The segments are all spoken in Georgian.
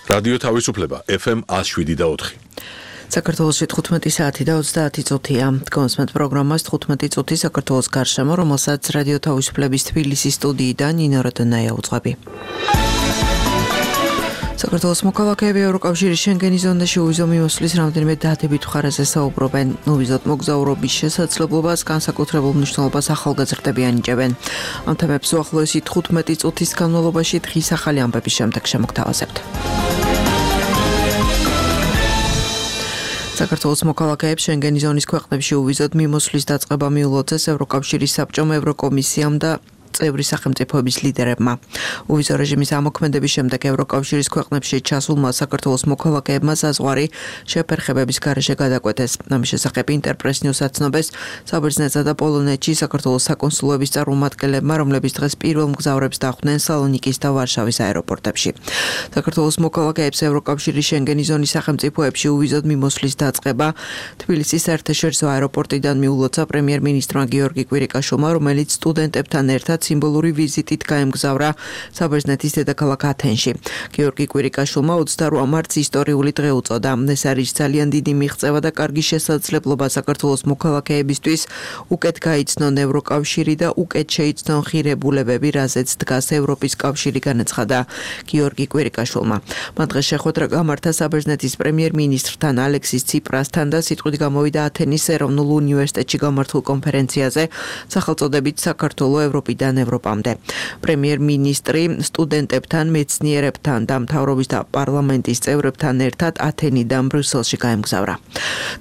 რადიო თავისუფლება FM 107.4. საქართველოში 15 საათი და 30 წუთია. Დგომსმენთ პროგრამას 15 წუთი საქართველოს გარშემო, რომელსაც რადიო თავისუფლების თბილისის სტუდიიდან ნინო როდონაია უძღვები. საქართველოს მოქალაქეები ევროკავშირის შენგენის ზონაში უვიზო მიმოსვლის რამდენიმე დადებით მხარეზე საუბრობენ. უვიზოთ მოგზაურობის შესაძლებლობას, განსაკუთრებულ მნიშვნელობას ახალგაზრდები ანიჭებენ. ამ თემებს უახლოესი 15 წუთის განმავლობაში დღის ახალი ამბების შემდეგ შემოგთავაზებთ. საქართველოს მოქალაქეებს შენგენის ზონის ქვეყნებში უვიზოთ მიმოსვლის დაწყება მიულოცეს ევროკავშირის საბჭომ, ევროკომისიამ და წევრი სახელმწიფოების ლიდერებმა. უვიზო რეჟიმის ამოქმედების შემდეგ ევროკავშირის ქვეყნებში ჩასულმა საქართველოს მოქალაქეებმა საზღვარი შეფერხებების გარეშე გადაკვეთეს. ამის შესახებ ინტერპრეს ნიუს აცნობს საბერძნეთსა და პოლონეთში საქართველოს საკონსულოების წარმომადგენლებმა, რომლებიც დღეს პირველ მგზავრებს დახვდნენ სალონიკის და ვარშავის აეროპორტებში. საქართველოს მოქალაქეებს ევროკავშირის შენგენის ზონის სახელმწიფოებში უვიზოთ მიმოსვლის დაწყება თბილისის საერთაშორისო აეროპორტიდან მიულოცა პრემიერ-მინისტრმა გიორგი კვირიკაშვილმა, რომელიც სტუდენტებთან ერთად სიმბოლური ვიზიტით გაემგზავრა საბერძნეთის დედაქალაქ ათენში. გიორგი კვირიკაშვილმა 28 მარტს ისტორიული დღე უწოდა. ეს არის ძალიან დიდი მიღწევა და კარგი შესაძლებლობა საქართველოს მოქალაქეებისთვის უკეთ გაიცნონ ევროკავშირი და უკეთ შეიცნონ ღირებულებები, რაზეც დგას ევროპის კავშირი, განაცხადა გიორგი კვირიკაშვილმა. მან დღეს შეხვედრა გამართა საბერძნეთის პრემიერ-მინისტრთან ალექსის ციპრასთან და სიტყვით გამოვიდა ათენის ეროვნულ უნივერსიტეტში გამართულ კონფერენციაზე სახელწოდებით საქართველო ევროპიდან ევროპამდე. პრემიერ-მინისტრი სტუდენტებთან, მეცნიერებთან და მთავრობის და პარლამენტის წევრებთან ერთად ათენიდან ბრიუსელში გაემგზავრა.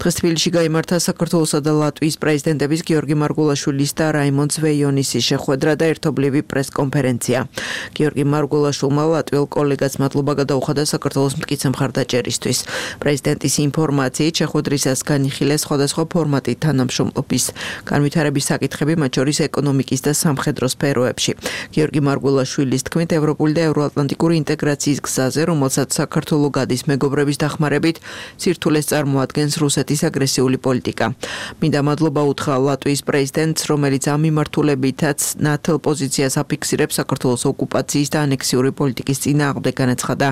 დღეს თბილისში გაიმართა საქართველოსა და ლატვიის პრეზიდენტების გიორგი მარგულაშვილის და რაიმონ ზვეიონისის შეხვედრა და ერთობლივი პრესკონფერენცია. გიორგი მარგულაშვილმა ლატვიელ კოლეგას მადლობა გადაუხადა საქართველოს მტკიცე მხარდაჭერისთვის. პრეზიდენტის ინფორმაციით შეხვედრისას განიხილეს სხვადასხვა ფორმატით თანამშრომლობის განვითარების საკითხები, მათ შორის ეკონომიკის და სამხედრო სფეროებში. გიორგი მარგულაშვილის თქმით, ევროპული და ევროატლანტიკური ინტეგრაციის გზაზე, რომელსაც საქართველო გადის მეგობრების დახმარებით, სირთულეს წარმოადგენს რუსეთის აგრესიული პოლიტიკა. მინდა მადლობა უთხრა ლატვიის პრეზიდენტს, რომელიც ამ მიმართულებითაც ნათელ პოზიციას აფიქსირებს საქართველოს ოკუპაციის და ანექსიური პოლიტიკის წინააღმდეგ, განაცხადა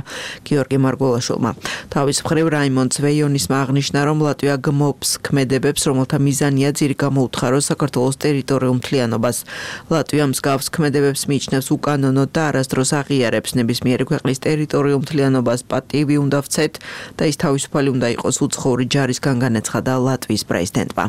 გიორგი მარგულაშვილმა. თავის მხრივ რაიმონ ზვეიონისმა აღნიშნა, რომ ლატვია გმობს ქმედებებს, რომელთა მიზანია ძირი გამოუთხაროს საქართველოს ტერიტორიულ მთლიანობას. ლატვია მსგავს ქმედებებს მიიჩნევს უკანონოდ და არასდროს აღიარებს. ნებისმიერი ქვეყნის ტერიტორიულ მთლიანობას პატივი უნდა ვცეთ და ის თავისუფალი უნდა იყოს უცხოური ჯარისგან, განაცხადა ლატვიის პრეზიდენტმა.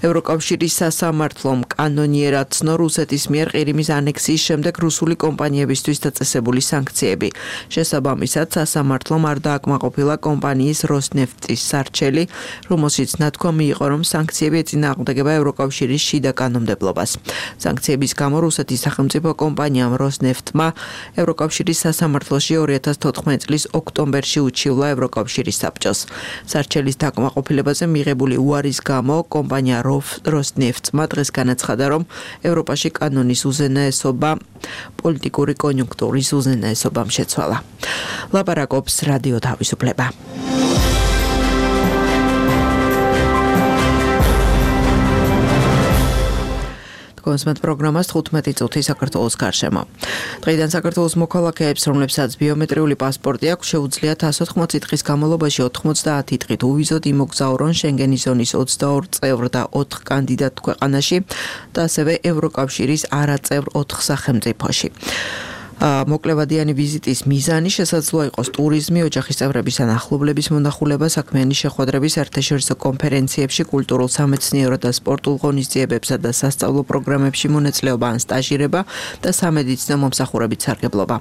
ევროკავშირის სასამართლომ კანონიერად ცნო რუსეთის მიერ ყირიმის ანექსიის შემდეგ რუსული კომპანიებისთვის დაწესებული სანქციები. შესაბამისად, სასამართლომ არ დააკმაყოფილა კომპანიის როსნეფტის სარჩელი, რომელშიც ნათქვამი იყო, რომ სანქციები ეწინააღმდეგება ევროკავშირის შიდა კანონმდებლობას. სანქციების გამო რუსეთის სახელმწიფო კომპანიამ როსნეფტმა ევროკავშირის სასამართლოში 2014 წლის ოქტომბერში უჩივლა ევროკავშირის საბჭოს. სარჩელის დაკმაყოფილებაზე მიღებული უარის გამო კომპანია როსნეფტმა დღეს განაცხადა, რომ ევროპაში კანონის უზენაესობა პოლიტიკური კონიუნქტურის უზენაესობამ შეცვალა. ლაპარაკობს რადიო თავისუფლება. დგომსმენთ პროგრამას 15 წუთი საქართველოს გარშემო. დღეიდან საქართველოს მოქალაქეებს, რომლებსაც ბიომეტრიული პასპორტი აქვს, შეუძლიათ 180 დღის განმავლობაში 90 დღით უვიზოდ იმოგზაურონ შენგენის ზონის 22 წევრ და 4 კანდიდატ ქვეყანაში და ასევე ევროკავშირის არაწევრ 4 სახელმწიფოში. მოკლევადიანი ვიზიტის მიზანი შესაძლოა იყოს ტურიზმი, ოჯახის წევრების ან ახლობლების მონახულება, საქმიანი შეხვედრები საერთაშორისო კონფერენციებში, კულტურულ, სამეცნიერო და სპორტულ ღონისძიებებსა და სასწავლო პროგრამებში მონაწილეობა ან სტაჟირება და სამედიცინო მომსახურებით სარგებლობა.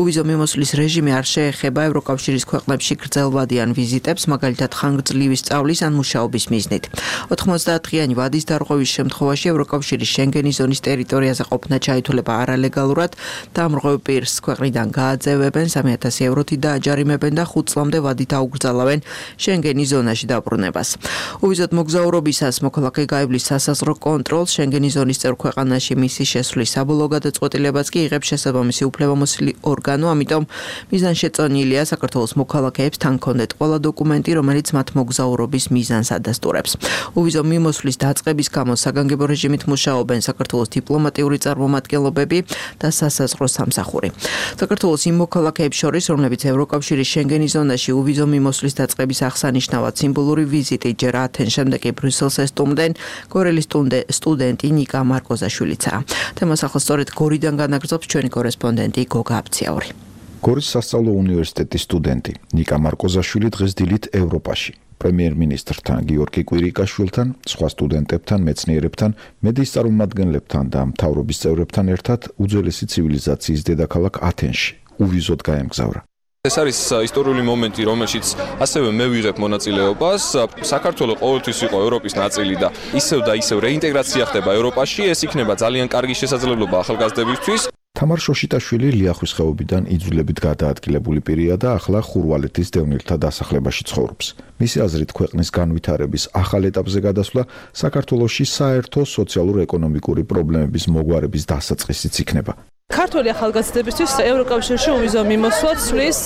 უვიზო მიმოსვლის რეჟიმი არ შეეხება ევროკავშირის ქვეყნებში გრძელვადიან ვიზიტებს, მაგალითად ხანგრძლივი სწავლის ან მუშაობის მიზნით. 90 დღიანი ვადის დარღვევის შემთხვევაში ევროკავშირის შენგენის ზონის ტერიტორიაზე ყოფნა ჩაითვლება არალეგალურად და ამრღვევი პირს ქვეყნიდან გააძევებენ, 3000 ევროთი დააჯარიმებენ და 5 წლამდე ვადით აუგრძალავენ შენგენის ზონაში დაბრუნებას. უვიზოდ მოგზაურობისას მოქალაქე გაივლის სასაზღვრო კონტროლს, შენგენის ზონის წევრ ქვეყანაში მისი შესვლის საბოლოო გადაწყვეტილებას კი იღებს შესაბამისი უფლებამოსილი ორგანო, ამიტომ მიზანშეწონილია საქართველოს მოქალაქეებს თან ჰქონდეთ ყველა დოკუმენტი, რომელიც მათ მოგზაურობის მიზანს ადასტურებს. უვიზო მიმოსვლის დაწყების გამო საგანგებო რეჟიმით მუშაობენ საქართველოს დიპლომატიური წარმომადგენლობები და სასაზღვრო სამსახურები. დაკარგული. საქართველოს იმ მოქალაქეებს შორის, რომლებიც ევროკავშირის შენგენის ზონაში uvizო მიმოსვლის დაწყების აღსანიშნავად სიმბოლური ვიზიტით ჯერ ათენს, შემდეგ კი ბრიუსელს ესტუმრდნენ, გორელის სტუდენტი ნიკა მარკოზაშვილიცაა. თემას ახლა სწორედ გორიდან განაგრძობს ჩვენი კორესპონდენტი გოგა აბციაური. გორის სასწავლო უნივერსიტეტის სტუდენტი ნიკა მარკოზაშვილი დღეს დილით ევროპაში პრემიერ-მინისტრთან გიორგი კვირიკაშვილთან, სხვა სტუდენტებთან, მეცნიერებთან, მედიის წარმომადგენლებთან და მთავრობის წევრებთან ერთად უძველესი ცივილიზაციის დედაქალაქ ათენში uvizოდ გაემგზავრა. ეს არის ისტორიული მომენტი, რომელშიც ასევე მე ვიღებ მონაწილეობას. საქართველო ყოველთვის იყო ევროპის ნაწილი და ისევ რეინტეგრაცია ხდება ევროპაში. ეს იქნება ძალიან კარგი შესაძლებლობა ახალგაზრდებისთვის. თამარ შოშიტაშვილი ლიახვის ხეობიდან იძულებით გადაადგილებული პირია და ახლა ხურვალეთის დევნილთა დასახლებაში ცხოვრობს. მისი აზრით, ქვეყნის განვითარების ახალ ეტაპზე გადასვლა საქართველოში საერთო სოციალურ-ეკონომიკური პრობლემების მოგვარების დასაწყისიც იქნება. ქართული ახალგაზრდებისთვის ევროკავშირში uvizო მიმოსვლა ცვლის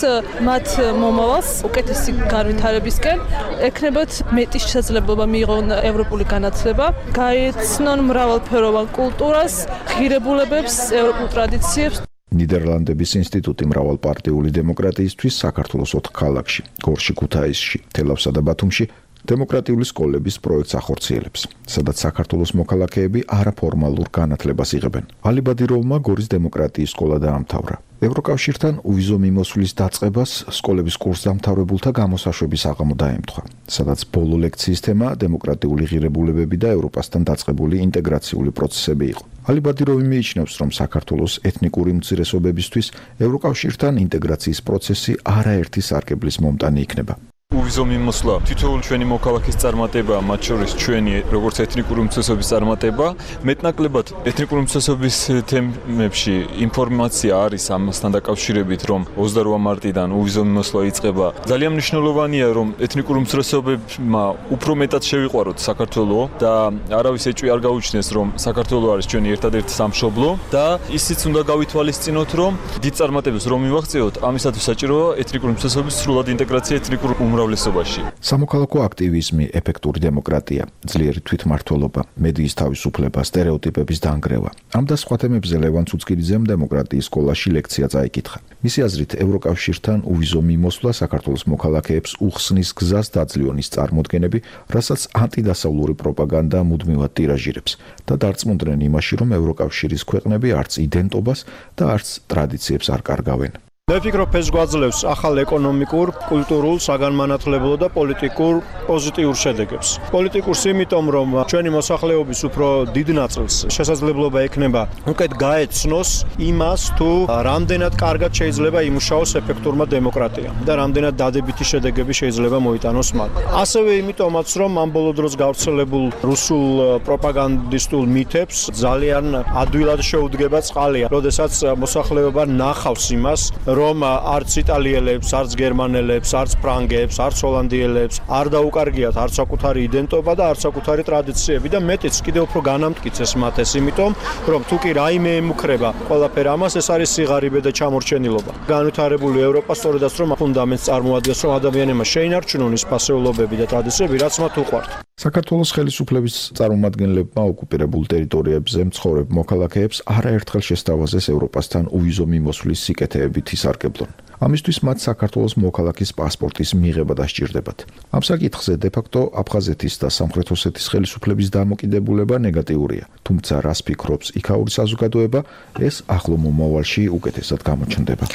მათ მომავალს უკეთესი განვითარებისკენ, ექნებათ მეტი შესაძლებლობა მიიღონ ევროპული განათლება, გაეცნონ მრავალფეროვან კულტურას, ღირებულებებს, ევროპულ ტრადიციებს. ნიდერლანდების ინსტიტუტი მრავალპარტიული დემოკრატიისთვის საქართველოს 4 ქალაქში, გორში, ქუთაისში, თელავსა და ბათუმში დემოკრატიული სკოლების პროექტს ახორციელებს, სადაც საქართველოს მოქალაქეები არაფორმალურ განათლებას იღებენ. ალი ბადიროვმა გორის დემოკრატიის სკოლა დაამთავრა. ევროკავშირთან uvizო მიმოსვლის დაწყებას სკოლების კურსდამთავრებულთა გამოსაშვების აღამო დაემთხვა, სადაც ბოლო ლექციის თემა დემოკრატიული ღირებულებები და ევროპასთან დაწყებული ინტეგრაციული პროცესები იყო. ალი ბადიროვი მიიჩნევს, რომ საქართველოს ეთნიკური უმცირესობებისთვის ევროკავშირთან ინტეგრაციის პროცესი არაერთი სარგებლის მომტანი იქნება. uvizო მიმოსვლა თითოეული ჩვენი მოქალაქის წარმატება, მათ შორის ჩვენი როგორც ეთნიკური უმცირესობის წარმატება, მეტნაკლებად ეთნიკური უმცირესობის თემებში ინფორმაცია არის ამასთან დაკავშირებით, რომ 28 მარტიდან uvizო მიმოსვლა იწყება. ძალიან მნიშვნელოვანია, რომ ეთნიკური უმცირესობებმა უფრო მეტად შევიყვაროთ საქართველო და არავის ეჭვი არ გაუჩნდეს, რომ საქართველო არის ჩვენი ერთადერთი სამშობლო და ისიც უნდა გავითვალისწინოთ, რომ დიდ წარმატებებს რომ მივაღწიოთ, ამისათვის საჭიროა ეთნიკური უმცირესობის სრულად ინტეგრაცია ეთნიკურ სამოქალაქო აქტივიზმი, ეფექტური დემოკრატია, ძლიერი თვითმმართველობა, მედიის თავისუფლება, სტერეოტიპების დანგრევა. ამ და სხვა თემებზე ლევან ცუცკირიძემ დემოკრატიის სკოლაში ლექცია წაიკითხა. მისი აზრით, ევროკავშირთან uvizო მიმოსვლა საქართველოს მოქალაქეებს უხსნის გზას დაძლიონის წარმოდგენები, რასაც ანტიდასავლური პროპაგანდა მუდმივად ტირაჟირებს და დარწმუნდნენ იმაში, რომ ევროკავშირის ქვეყნები არც იდენტობას და არც ტრადიციებს არ კარგავენ. მე ვფიქრობ, ეს გვაძლევს ახალ ეკონომიკურ, კულტურულ, საგანმანათლებლო და პოლიტიკურ პოზიტიურ შედეგებს. პოლიტიკურს იმიტომ, რომ ჩვენი მოსახლეობის უფრო დიდ ნაწილს შესაძლებლობა ექნება უკეთ გაეცნოს იმას, თუ რამდენად კარგად შეიძლება იმუშაოს ეფექტურმა დემოკრატიამ და რამდენად დადებითი შედეგები შეიძლება მოიტანოს მათ. ასევე იმიტომაც, რომ ამ ბოლო დროს გავრცელებულ რუსულ პროპაგანდისტულ მითებს ძალიან ადვილად შეუდგება წყალია, როდესაც მოსახლეობა ნახავს იმას, რომ არც იტალიელებს, არც გერმანელებს, არც ფრანგებს, არც ჰოლანდიელებს არ დაუკარგიათ არც საკუთარი იდენტობა და არც საკუთარი ტრადიციები და მეტიც კიდევ უფრო განამტკიცეს მათ ეს, იმიტომ რომ თუ კი რაიმე ემუქრება ყველაფერ ამას, ეს არის სიღარიბე და ჩამორჩენილობა. განვითარებული ევროპა სწორედაც რომ ფუნდამენტს წარმოადგენს, რომ ადამიანებმა შეინარჩუნონ ის ფასეულობები და ტრადიციები, რაც მათ უყვართ. საქართველოს ხელისუფლების წარმომადგენლებმა ოკუპირებულ ტერიტორიებზე მცხოვრებ მოქალაქეებს არაერთხელ შესთავაზეს ევროპასთან uvizო მიმოსვლის სიკეთეებითი სარგებლონ. ამისთვის მათ საქართველოს მოქალაქის პასპორტის მიღება დასჭირდებათ. ამ საკითხზე დე-ფაქტო აფხაზეთის და სამხრეთ ოსეთის ხელისუფლების დამოკიდებულება ნეგატიურია, თუმცა რას ფიქრობს იქაური საზოგადოება, ეს ახლო მომავალში უკეთესად გამოჩნდება.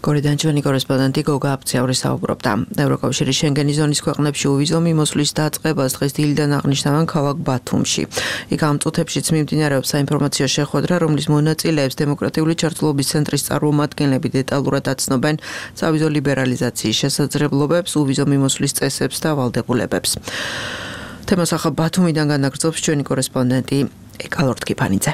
გორიდან ჩვენი კორესპონდენტი გოგა აბციაური საუბრობდა. ევროკავშირის შენგენის ზონის ქვეყნებში uvizო მიმოსვლის დაწყებას დღეს დილიდან აღნიშნავენ ქალაქ ბათუმში. იქ ამ წუთებშიც მიმდინარეობს საინფორმაციო შეხვედრა, რომლის მონაწილეებს დემოკრატიული ჩართულობის ცენტრის წარმომადგენლები დეტალურად აცნობენ სავიზო ლიბერალიზაციის შესაძლებლობებს, uvizო მიმოსვლის წესებს და ვალდებულებებს. თემას ახლა ბათუმიდან განაგრძობს ჩვენი კორესპონდენტი ეკალორდ კიფანიძე.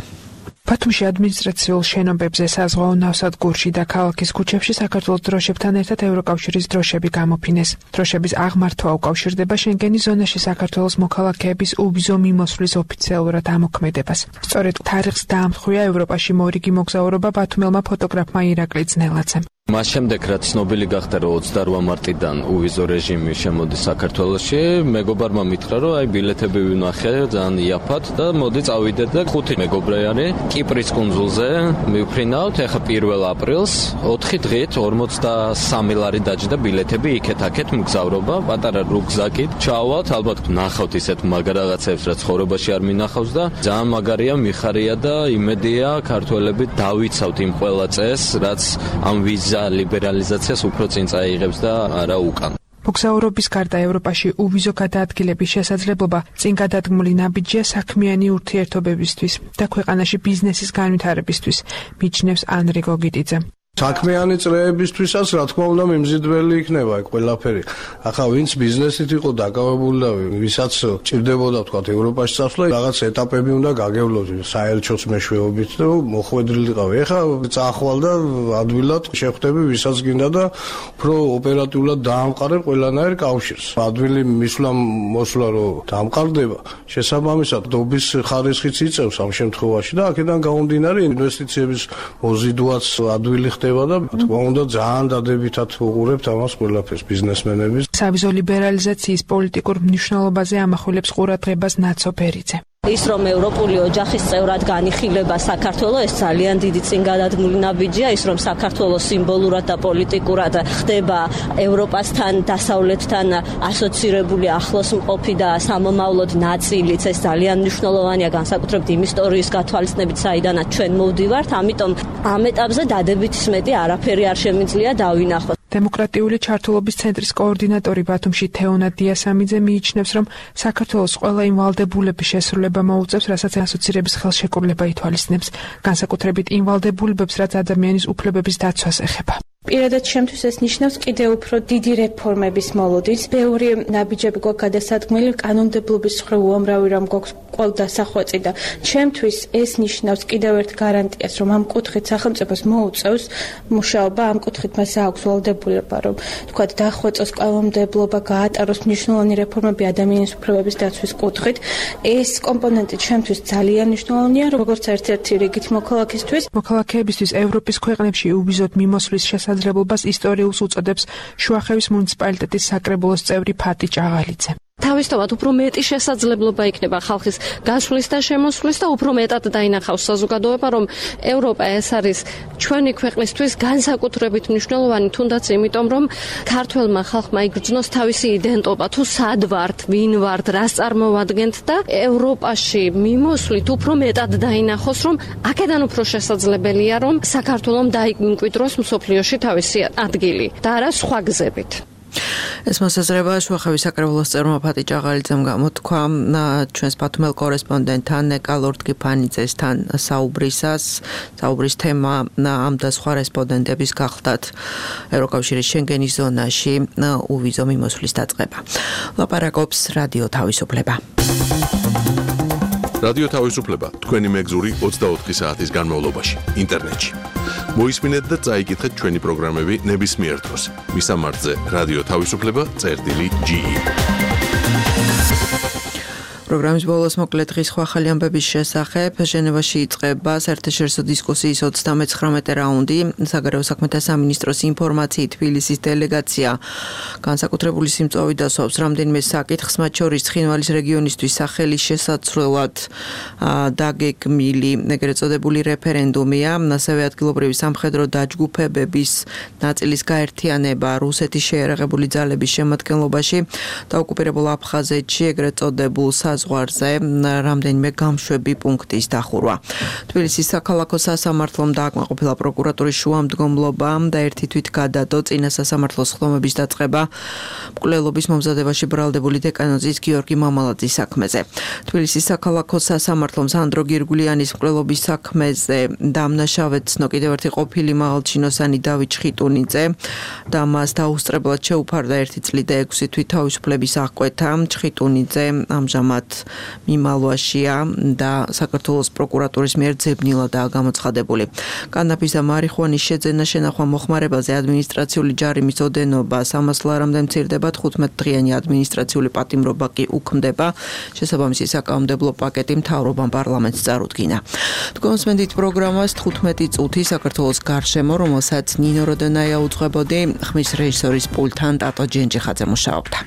ბათუმში ადმინისტრაციულ შენობებზე საზღვაო ნავსადგურში და ქალაქის ქუჩებში საქართველოს დროშებთან ერთად ევროკავშირის დროშები გამოფინეს. დროშების აღმართვა უკავშირდება შენგენის ზონაში საქართველოს მოქალაქეების uvizო მიმოსვლის ოფიციალურად ამოქმედებას. სწორედ თარიღს დაამთხვია ევროპაში მორიგი მოგზაურობა ბათუმელმა ფოტოგრაფმა ირაკლი ძნელაძემ. მას შემდეგ რაც ცნობილი გახდა რომ 28 მარტიდან უვიზო რეჟიმი შემოდის საქართველოში, მეგობარმა მითხრა რომ აი ბილეთები ვნახე ძალიან იაფად და მოდი წავიდეთ და 5 მეგობრე არის კიპრის კუნძულზე მივფრინავთ ახლა 1 აპრილს 4 დღით 43 ლარი დაჯდა ბილეთები იქეთ-აქეთ მგზავრობა პატარა რუგზაკით ჩავალთ ალბათ ნახავთ ისეთ მაგარ რაღაცებს რაც ცხოვრებაში არ მინახავს და ძალიან მაგარია მიხარია და იმედია ქართველები დავიცავთ იმ ყველა წესს რაც ამ ვიზა ლიბერალიზაციას უფრო წინ წაიღებს და არა უკან. მოგზაურობის გარდა ევროპაში უვიზო გადაადგილების შესაძლებლობა წინ გადადგმული ნაბიჯია საქმიანი ურთიერთობებისთვის და ქვეყანაში ბიზნესის განვითარებისთვის, მიჩნევს ანრი გოგიტიძე. საქმიანი წრეებისთვისაც რა თქმა უნდა მიმზიდველი იქნება ეგ ყველაფერი. ახლა ვინც ბიზნესით იყო დაკავებული და ვისაც ჭირდებოდა თქვა ევროპაში წასვლა, რაღაც ეტაპები უნდა გაგევლოთ საელჩოს მეშვეობით და მოხვედრილიყავი. ახლა წახვალ და ადვილად შეხვდები ვისაც გინდა და უფრო ოპერატიულად დაამყარებ ყველანაირ კავშირს. ადვილი მისვლა მოსვლა რომ დაამყარდება, შესაბამისად დობის ხარისხიც იწევს ამ შემთხვევაში და აქედან გამომდინარე ინვესტიციების მოზიდვაც ადვილი ხდება და თქმა უნდა ძალიან დადებითად უყურებთ ამას ყველაფერს ბიზნესმენების. სავიზო ლიბერალიზაციის პოლიტიკურ მნიშვნელობაზე ამახვილებს ყურადღებას ნაცო ბერიძე. ის რომ ევროპული ოჯახის წევრად განიხილება საქართველოს ეს ძალიან დიდი წინგადადგმული ნაბიჯია, ის რომ საქართველოს სიმბოლურად და პოლიტიკურად ხდება ევროპასთან, დასავლეთთან ასოცირებული ახლოს მყოფი და სამომავლოდ ნაწილიც, ეს ძალიან მნიშვნელოვანია განსაკუთრებით იმ ისტორიის გათვალისწინებით, საიდანაც ჩვენ მოვდივართ, ამიტომ ამ ეტაპზე დადებითის მეტი არაფერი არ შემიძლია დავინახოთ. დემოკრატიული ჩართულობის ცენტრის კოორდინატორი ბათუმში თეონა დიასამიძე მიიჩნევს, რომ საქართველოს ყველა იმ ვალდებულების შესრულება მოუწევს, რასაც ასოცირების ხელშეკრულება ითვალისწინებს, განსაკუთრებით იმ ვალდებულებებს, რაც ადამიანის უფლებების დაცვას ეხება. პირადად ჩემთვის ეს ნიშნავს კიდევ უფრო დიდი რეფორმების მოლოდინს. ბევრი ნაბიჯები გვაქვს გადასადგმელი, კანონმდებლობის სხვა უამრავი რამ გვაქვს ყველა სახვაწი და ჩემთვის ეს ნიშნავს კიდევ ერთ გარანტიას, რომ ამ კუთხით სახელმწიფოს მოუწევს მუშაობა, ამ კუთხით მას აქვს ვალდებულება, რომ თქვათ დახვეწოს კანონმდებლობა, გაატაროს მნიშვნელოვანი რეფორმები ადამიანის უფლებების დაცვის კუთხით. ეს კომპონენტი ჩემთვის ძალიან მნიშვნელოვანია, როგორც ერთ-ერთი რიგით მოქალაქისთვის. მოქალაქეებისთვის ევროპის ქვეყნებში უვიზოდ მიმოსვლის შესაძლებლობას ისტორიულს უწოდებს შუახევის მუნიციპალიტეტის საკრებულოს წევრი ფატი ჭაღალიძე. თავისთავად უფრო მეტი შესაძლებლობა იქნება ხალხის გასვლის და შემოსვლის და უფრო მეტად დაინახავს საზოგადოება, რომ ევროპა ეს არის ჩვენი ქვეყნისთვის განსაკუთრებით მნიშვნელოვანი, თუნდაც იმიტომ, რომ ქართველმა ხალხმა იგრძნოს თავისი იდენტობა, თუ სად ვართ, ვინ ვართ, რას წარმოვადგენთ და ევროპაში მიმოსვლით უფრო მეტად დაინახოს, რომ აქედან უფრო შესაძლებელია, რომ საქართველომ დაიმკვიდროს მსოფლიოში თავისი ადგილი და არა სხვა გზებით. ეს მოსაზრება შუახევის საკრებულოს წევრმა ფატი ჭაღალიძემ გამოთქვა ჩვენს ბათუმელ კორესპონდენტთან ნეკა ლორდგიფანიძესთან საუბრის თემა ამ და სხვა რესპონდენტების გახლდათ ევროკავშირის შენგენის ზონაში უვიზო მიმოსვლის დაწყება. ლაპარაკობს რადიო თავისუფლება. რადიო თავისუფლება თქვენი მეგზური 24 საათის განმავლობაში ინტერნეტში. მოისმინეთ და წაიკითხეთ ჩვენი პროგრამები ნებისმიერ დროს. მისამართზე რადიო თავისუფლება.ge. პროგრამის ბოლოს მოკლედ დღის ახალი ამბების შესახებ ჟენევაში იწყება საერთაშორისო დისკუსიის 39 რაუნდი. საგარეო საქმეთა სამინისტროს ინფორმაციით თბილისის დელეგაცია განსაკუთრებული სიმწვავით დასვავს რამდენიმე საკითხს, მათ შორის ცხინვალის რეგიონისთვის სახელი შესაცვლელად დაგეგმილი ეგრეთ წოდებული რეფერენდუმია, ასევე ადგილობრივი სამხედრო დაჯგუფებების ნაწილის გაერთიანება რუსეთის შეიარაღებული ძალების შემადგენლობაში და ოკუპირებულ აფხაზეთში ეგრეთ წოდებულ ზღვარზე რამდენიმე გამშვები პუნქტის დახურვა. თბილისის საქალაქო სასამართლომ დააკმაყოფილა პროკურატურის შუამდგომლობა და ერთი თვით გადადო წინა სასამართლოს ხდომების დაწყება მკვლელობის მომზადებაში ბრალდებული დეკანოზის გიორგი მამალაძის საქმეზე. თბილისის საქალაქო სასამართლომ სანდრო გირგულიანის მკვლელობის საქმეზე დამნაშავედ ცნო კიდევ ერთი ყოფილი მაღალჩინოსანი დავით ჩხიტუნიძე და მას დაუსწრებლად შეუფარდა 1 წლი და 6 თვის თავისუფლების აღკვეთა. ჩხიტუნიძე ამჟამად მიმალვაშია და საქართველოს პროკურატურის მიერ ძებნილადაა გამოცხადებული. კანაფის და მარიხუანის შეძენა შენახვა მოხმარებაზე ადმინისტრაციული ჯარიმის ოდენობა 300 ლარამდე მცირდება, 15 დღიანი ადმინისტრაციული პატიმრობა კი უქმდება. შესაბამისი საკანონმდებლო პაკეტი მთავრობამ პარლამენტს წარუდგინა. თქვენს მენდით პროგრამას 15 წუთი საქართველოს გარშემო, რომელსაც ნინო როდონაია უძღვებოდი, ხმის რეჟისორის პულტთან ტატო ჯენჯიხაძე მუშაობდა.